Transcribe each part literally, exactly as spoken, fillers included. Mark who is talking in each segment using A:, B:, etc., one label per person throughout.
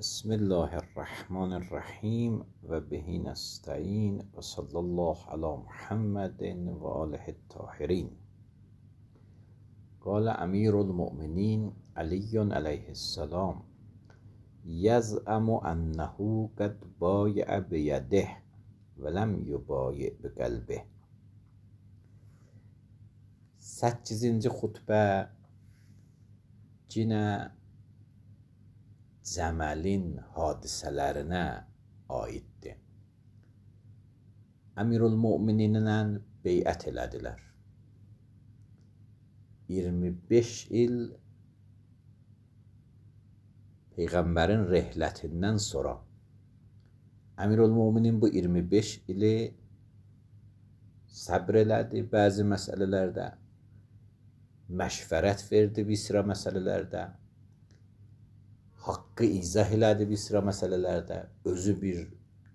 A: بسم الله الرحمن الرحیم و به نستعین و صلی الله علی محمد و آله الطاهرین. قال امیر المؤمنین علی علیه السلام: یزعم انه قد بایع بیده ولم یبایع بقلبه. səkkizinci xutbə yenə Cəməlin hadisələrinə aiddir. Əmirül-Mömininlə beyət elədilər. iyirmi beş il Peyğəmbərin rehlətindən sonra Əmirül-Möminin bu iyirmi beş ili səbr elədi bəzi məsələlərdə, məşvərət verdi bir sıra məsələlərdə, haqqı izah elədi bir sıra məsələlərdə, özü bir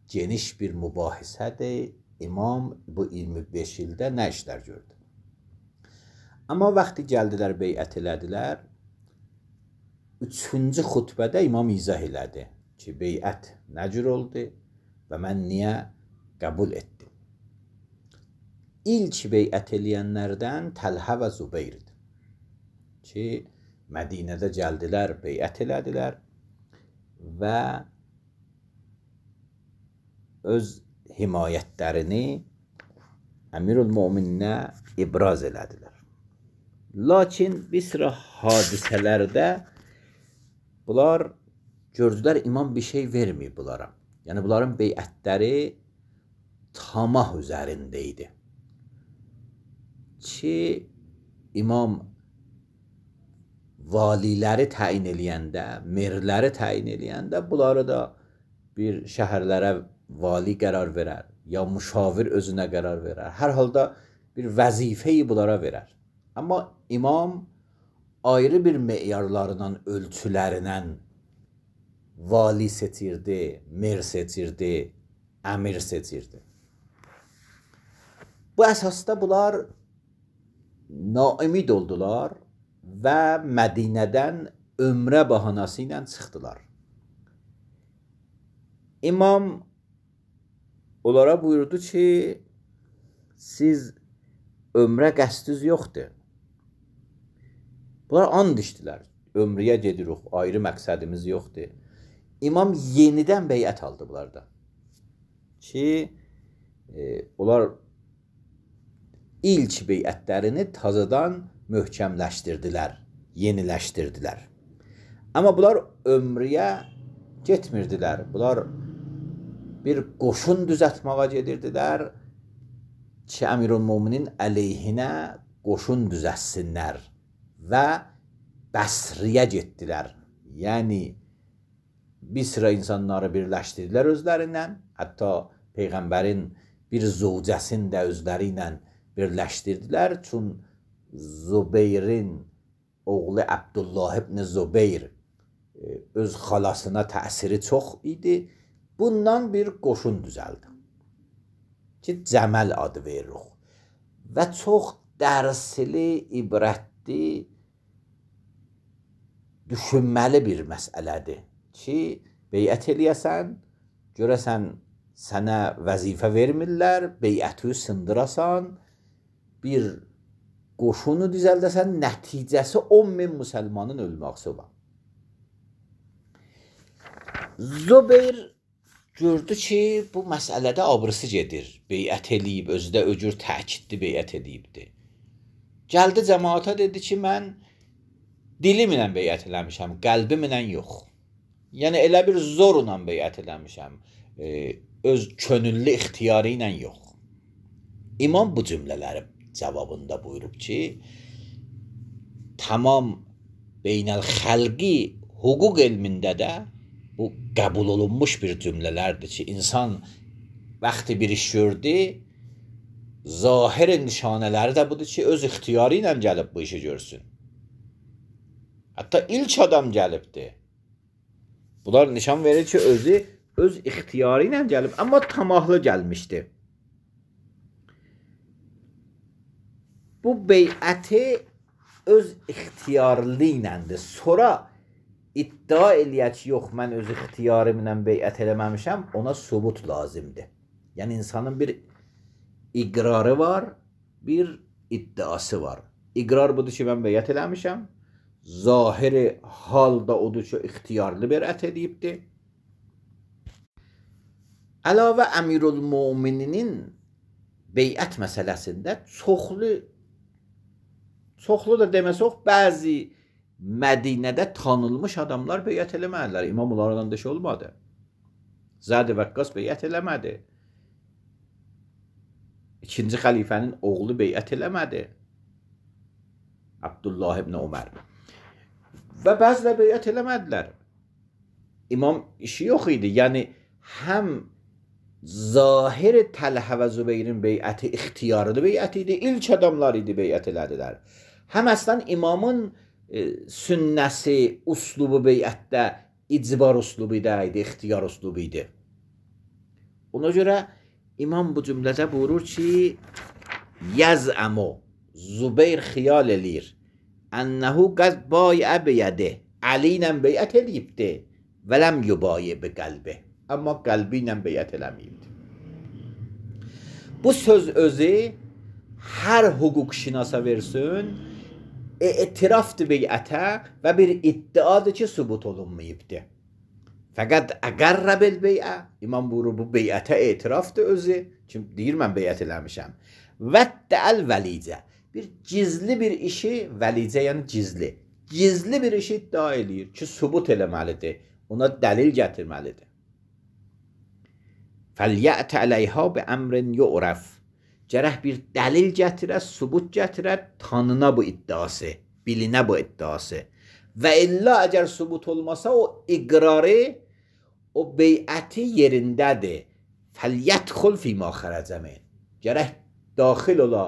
A: geniş bir mübahisədir. İmam bu iyirmi beş ildə nə işlər gördü? Amma vaxtı gəldilər, beyət elədilər, üçüncü xutbədə imam izah elədi ki, beyət nə cür oldu və mən niyə qəbul etdim? İlk beyət eləyənlərdən Təlhə və Zübeyrdir ki, Mədinədə gəldilər, beyət elədilər və öz himayətlərini Əmirül-Mömininə ibraz elədilər. Lakin bir sıra hadisələrdə bunlar gördülər, imam bir şey verməyib bunlara. Yəni bunların beyətləri tamah üzərində idi ki, imam valiləri təyin eləyəndə, merləri təyin eləyəndə bunları da bir şəhərlərə vali qərar verər, ya müşavir özünə qərar verər. Hər halda bir vəzifəyi bunlara verər. Amma imam ayrı bir meyarlarından, ölçülərindən vali seçirdi, mer seçirdi, əmir seçirdi. Bu əsasda bunlar naümid oldular və Mədinədən ömrə bahanası ilə çıxdılar. İmam onlara buyurdu ki, siz ömrə qəsdiniz yoxdur. Bunlar and içdilər, ömrəyə gedirik, ayrı məqsədimiz yoxdur. İmam yenidən beyət aldı bunlardan ki, e, onlar ilk beyətlərini tazadan möhkəmləşdirdilər, yeniləşdirdilər. Amma bunlar ömrəyə getmirdilər. Bunlar bir qoşun düzətməyə gedirdilər ki, Əmirül-Möminin əleyhinə qoşun düzətsinlər və Bəsriyə getdilər. Yəni, bir sıra insanları birləşdirdilər özlərindən, hətta Peyğəmbərin bir zövcəsini də özləri ilə birləşdirdilər. Çün Zübeyrin oğlu Abdullah ibn Zübeyr öz xalasına təsiri çox idi. Bundan bir qoşun düzəldi ki, Cəməl adı veririk və çox dərsli, ibrətli, düşünməli bir məsələdir ki, beyət eləyəsən, görəsən sənə vəzifə vermirlər, beyəti sındırasan, bir qoşunu düzəldəsən, nəticəsi on min müsəlmanın ölməqsi olan. Zübeyr gördü ki, bu məsələdə abrısı gedir. Beyət eləyib, özü də öcür təkidli beyət eləyibdir. Gəldi cəmaata dedi ki, mən dilimlə beyət eləmişəm, qəlbimlə yox. Yəni, elə bir zorla beyət eləmişəm, e, öz könüllü ixtiyarı ilə yox. İmam bu cümlələri cavabında buyurub ki, tamam beynəl-xəlqi hüquq elmində də bu qəbul olunmuş bir cümlələrdir ki, insan vaxtı bir iş gördü, zahir nişanələri də budur ki, öz ixtiyarı ilə gəlib bu işi görsün. Hətta ilk adam gəlibdir. Bunlar nişan verir ki, özü öz ixtiyarı ilə gəlib, amma tamahlı gəlmişdir. Bu beyəti öz ixtiyarlı iləndir. Sonra iddia eləyək, yox, mən öz ixtiyarımla beyət eləməmişəm, ona subut lazımdır. Yəni, insanın bir iqrarı var, bir iddiası var. İqrar budur ki, mən beyət eləmişəm. Zahiri halda odur ki, ixtiyarlı beyət edibdir. Əlavə Əmirülmömininin beyət məsələsində çoxlu, çoxlu da deməsək, bəzi Mədinədə tanınmış adamlar beyət eləmədilər. İmam onlardan da şey olmadı. Zəd Vəqqas beyət eləmədi. İkinci xəlifənin oğlu beyət eləmədi. Abdullah ibn Ömər. Və bəzilə beyət eləmədilər. İmam işi yox idi. Yəni, həm zahir Təlhə və Zübeyrin beyəti ixtiyarlı beyət idi. İlk adamlar idi beyət elədilər. Həm əslən imamın e, sünnəsi, uslubu beyətdə icbar uslubu idi, ixtiyar uslubu idi. Ona görə imam bu cümlədə buyurur ki, Yaz'amu Zübeyr xiyal eləyir ənəhu qəz bayə beyədi Ali ilə beyət eləyibdi və ləm yubayə bi qəlbi. Amma qəlbi ilə beyət eləməyibdi. Bu söz özü hər hüquq şinasa versin, etirafdır beyətə və bir iddiadır ki, sübut olunmayıbdır. Fəqət əqərrə bil beyə, imam buyurur, bu beyətə etirafdır özü, ki, deyir mən beyət eləmişəm. Vəddəəl vəlicə, bir gizli bir işi, vəlicə yəni gizli, gizli bir işi iddia eləyir ki, sübut eləməlidir, ona dəlil gətirməlidir. Fəlyət əleyhə bi əmrin yu'rəf, gərək bir dəlil gətirə, sübut gətirə, tanına bu iddiası, bilinə bu iddiası. Və illa əgər sübut olmasa, o iqrarı, o beyəti yerindədir. Fəlyədxul fîmâ xərəcə min. Gərək daxil ola,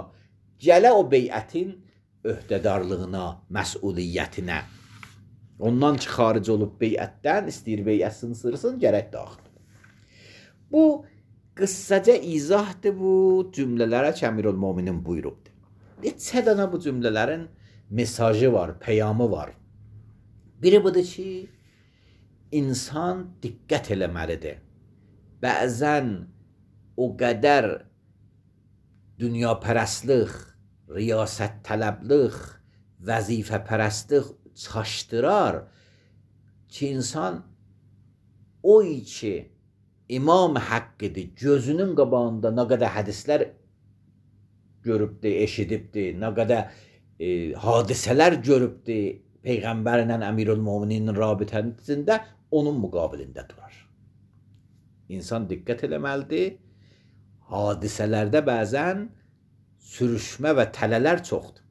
A: gələ o beyətin öhdədarlığına, məsuliyyətinə. Ondan ki, xaric olub beyətdən, istəyir beyət sınsırsın, gərək daxil. Bu, qıssaca izahdır bu cümlələrə ki, Əmirülmöminin buyurubdur. Neçə dənə bu cümlələrin mesajı var, peyamı var. Biri budur ki, insan diqqət eləməlidir. Bəzən o qədər dünyapərəstlik, riyasət tələblik, vəzifə pərəstlik çaşdırar ki, insan o ki, İmam haqqıdır, gözünün qabağında nə qədər hədislər görübdür, eşidibdir, nə qədər e, hadisələr görübdür, Peyğəmbərlə Əmirülmöminin rabitəsində onun müqabilində durar. İnsan diqqət eləməlidir, hadisələrdə bəzən sürüşmə və tələlər çoxdur.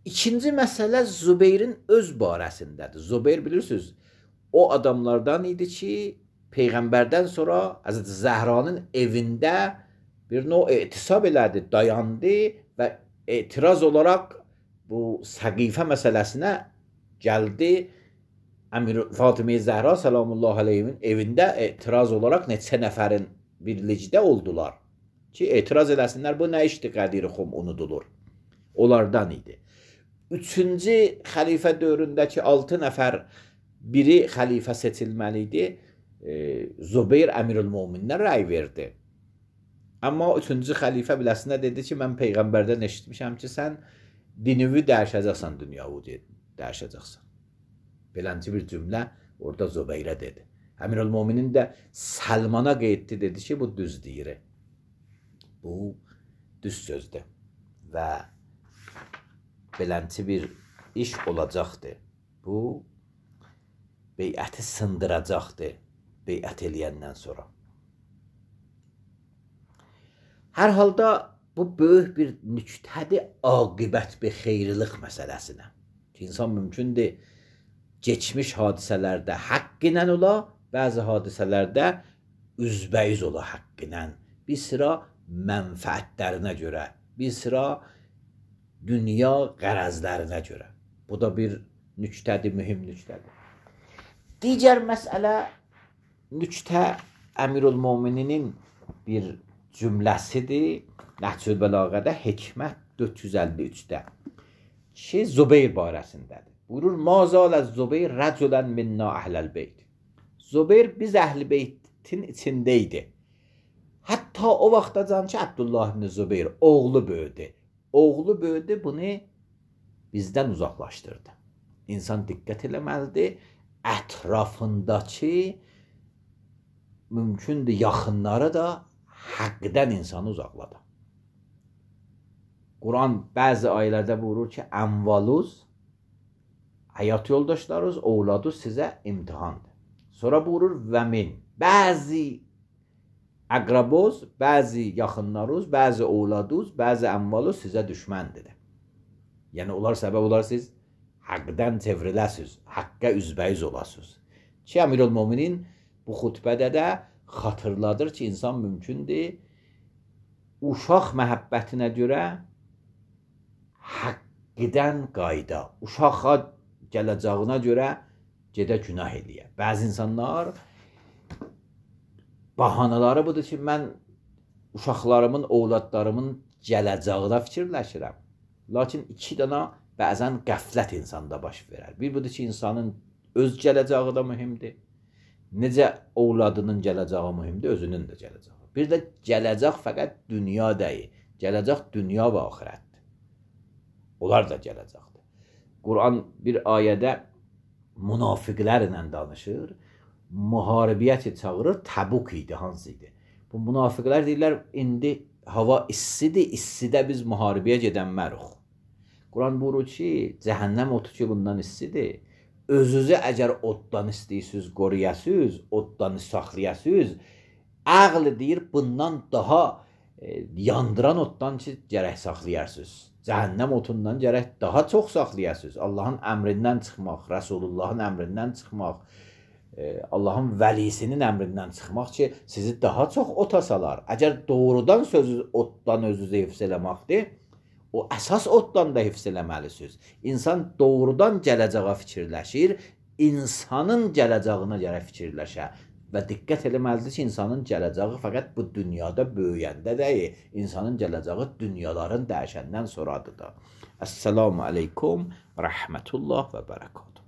A: İkinci məsələ Zübeyrin öz barəsindədir. Zübeyr bilirsiniz, o adamlardan idi ki, Peyğəmbərdən sonra Həzrəti Zəhranın evində bir növ etisab elədi, dayandı və etiraz olaraq bu səqifə məsələsinə gəldi. Əmir Fatimə Zəhra salamullah aleyhimin evində etiraz olaraq neçə nəfərin birlikdə oldular ki, etiraz eləsinlər, bu nə işdir Qədir Xum unudulur. Onlardan idi. Üçüncü xəlifə dövründəki altı nəfər biri xəlifə seçilməli idi. Zübeyr Əmirülmömininə rəy verdi. Amma üçüncü xəlifə biləsinə dedi ki, mən Peyğəmbərdən eşitmişəm ki, sən dinüvi dəyişəcəksən, dünyavu dəyişəcəksən. Belənci bir cümlə orada Zübeyrə dedi. Əmirülmöminin də Səlmana qeyddi, dedi ki, bu düz deyir. Bu düz sözdür və belənci bir iş olacaqdır. Bu beyəti sındıracaqdır. Beyət eləyəndən sonra. Hər halda bu böyük bir nüktədir aqibət bir xeyrilik məsələsinə. Ki, insan mümkündür geçmiş hadisələrdə haqq ilə ola, bəzi hadisələrdə üzbəyiz ola haqq ilə. Bir sıra mənfəətlərinə görə, bir sıra dünya qərəzlərinə görə. Bu da bir nüktədir, mühüm nüktədir. Digər məsələ nüktə Əmirülmömininin bir cümləsidir. Nəhcül Bəlağədə Hikmət dörd yüz əlli üçdə ki, Zübeyr barəsindədir. Buyurur: "Ma zalez Zubeyr rəculen minna əhləl beyt." Zubeyr biz əhl-i beytin içindeydi. Hətta o vaxtacan ki, Abdullah ibn Zubeyr oğlu böyüdü. Oğlu böyüdü, bunu bizdən uzaqlaşdırdı. İnsan diqqət eləməlidir, ətrafındakı mümkündür yaxınları da həqqdən insanı uzaqladı. Quran bəzi ayələrdə buyurur ki, əmvaluz, həyat yoldaşlarınız, oğladınız sizə imtihandır. Sonra buyurur və min, bəzi əqrabuz, bəzi yaxınlarınız, bəzi oğladınız, bəzi əmvaluz sizə düşməndir. Yəni onlar səbəb olar siz həqqdən çevriləsiniz, həqqə üzbəyiz olasınız. Ki, Əmirül-Möminin bu xutbədə də xatırladır ki, insan mümkündür uşaq məhəbbətinə görə həqqdən qayda, uşağa gələcəyinə görə gedə günah eləyə. Bəzi insanlar bahanaları budur ki, mən uşaqlarımın, oğladlarımın gələcəyinə fikirləşirəm. Lakin iki dana bəzən qəflət insanda baş verər. Bir budur ki, insanın öz gələcəyi da mühümdür. Necə oğladının gələcəyi mühümdür, özünün də gələcəyi. Bir də gələcək fəqət dünya deyil. Gələcək dünya və axirətdir. Onlar da gələcəkdir. Quran bir ayədə münafiqlərlə danışır. Müharibiyyəti çağırır, Təbuk idi, hansı idi? Bu münafiqlər deyirlər, indi hava istidir, istidə biz müharibəyə gedənmərik. Quran buyurur ki, cəhənnəm otu ki, bundan istidir. Özünüzü əgər oddan istəyirsiniz, qoruyasınız, oddan saxlayasınız, ağlı deyir, bundan daha e, yandıran oddan ki, gərək saxlayarsınız. Cəhənnəm otundan gərək daha çox saxlayasınız. Allahın əmrindən çıxmaq, Rəsulullahın əmrindən çıxmaq, e, Allahın vəlisinin əmrindən çıxmaq ki, sizi daha çox ota salar. Əgər doğrudan sözü oddan özünüzü hifz eləməkdir, o əsas oddan da hifz eləməlisiniz. İnsan doğrudan gələcəyə fikirləşir, insanın gələcəyinə görə fikirləşə və diqqət eləməlidir ki, insanın gələcəyi fəqət bu dünyada böyüyəndə deyil, insanın gələcəyi dünyaların dəyişəndən sonradır da. Əssəlamu aleykum və rəhmətullah və bərəkatuhu.